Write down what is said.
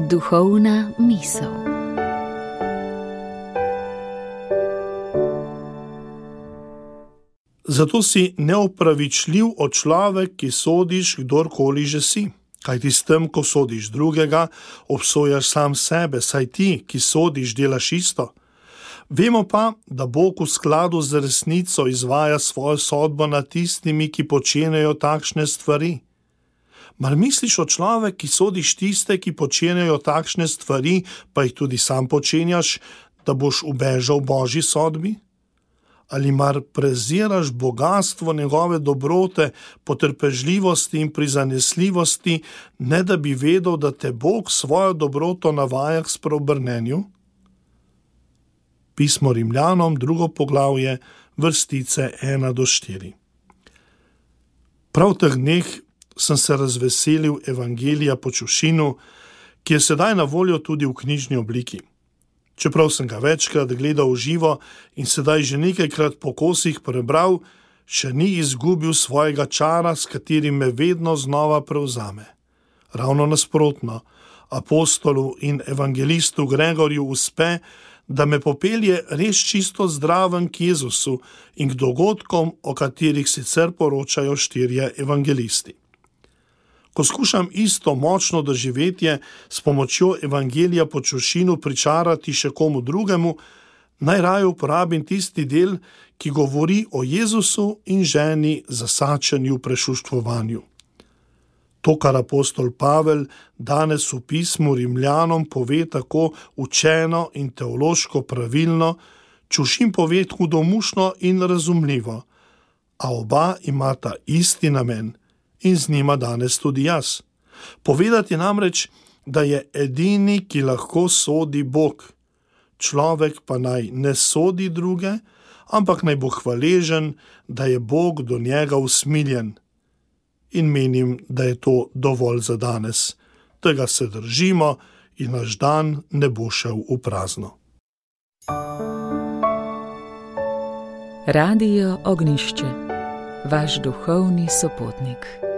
Duhovna misel. Zato si neopravičljiv o človek, ki sodiš, kdorkoli že si. Kajti s tem, ko sodiš drugega, obsojaš sam sebe, saj ti, ki sodiš, delaš isto. Vemo pa, da Bog v skladu z resnico izvaja svojo sodbo nad tistimi, ki počenjajo takšne stvari. Mar misliš o človek, ki sodiš tiste, ki počenjajo takšne stvari, pa jih tudi sam počenjaš, da boš ubežal Božji sodbi? Ali mar preziraš bogastvo njegove dobrote, potrpežljivosti in prizanesljivosti, ne da bi vedel, da te Bog svojo dobroto navaja k spreobrnenju? Pismo Rimljanom, 2. poglavje, vrstice 1-4. Prav v teh dneh sem se razveselil Evangelija po Čušinu, ki je sedaj na voljo tudi v knjižni obliki. Čeprav sem ga večkrat gledal v živo in sedaj že nekajkrat po kosih prebral, še ni izgubil svojega čara, s katerim me vedno znova prevzame. Ravno nasprotno, apostolu in evangelistu Gregorju uspe, da me popelje res čisto zdraven k Jezusu in k dogodkom, o katerih sicer poročajo 4 evangelisti. Ko skušam isto močno doživetje s pomočjo Evangelija po Čušinu pričarati še komu drugemu, najraje uporabim tisti del, ki govori o Jezusu in ženi zasačeni v prešuštvovanju. To, kar apostol Pavel danes v pismu Rimljanom pove tako učeno in teološko pravilno, Čušin pove hudomušno in razumljivo, a oba imata isti namen. In z njima danes tudi jaz. Povedati namreč, da je edini, ki lahko sodi Bog. Človek pa naj ne sodi druge, ampak naj bo hvaležen, da je Bog do njega usmiljen. In menim, da je to dovolj za danes. Tega se držimo in naš dan ne bo šel v prazno. Radio Ognjišče, vaš duhovni sopotnik.